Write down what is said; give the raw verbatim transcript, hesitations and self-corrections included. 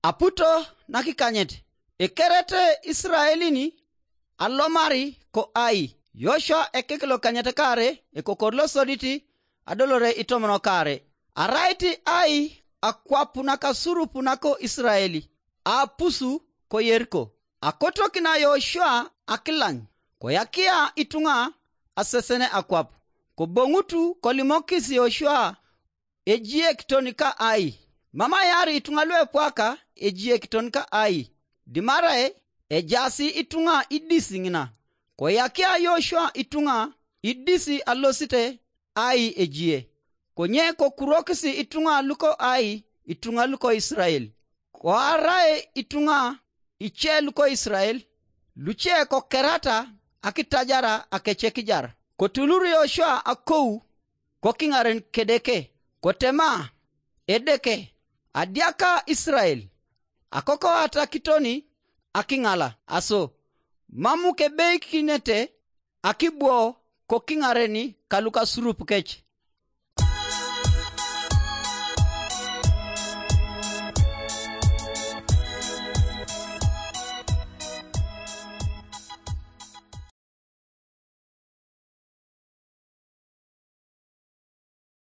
Aputo nakikanyet, ikeret Israelin alomari ko Ai. Yoshua ekek lokanyet kare ekokor losodit adolore itomon kare. Arait Ai akwap nakasurup nako Israel, apusu ko Yeriko. Akotokina Yoshua akilany, koyakia ituŋa asesene akwap. Koboŋutu kolimokis Yoshua ejiekiton ka Ai. Mam ayar ituŋa luepwaka ejiekiton ka Ai, dimarai ejaasi ituŋa idis ŋina. Koyakia Yoshua ituŋa idis alosite Ai ejie, konye kokurokis ituŋa luko Ai ituŋa luko Israel. Koarai ituŋa ice luko Israel, luce kokerata akitajara akecekijar. Kotulur Yoshua akou kokiŋaren Kedeke, kotema, Edeke, adiaka Israel, akokoata kitoni akiŋala, aso mam kebeikinete akibwo kokiŋaren kalukasurup kec.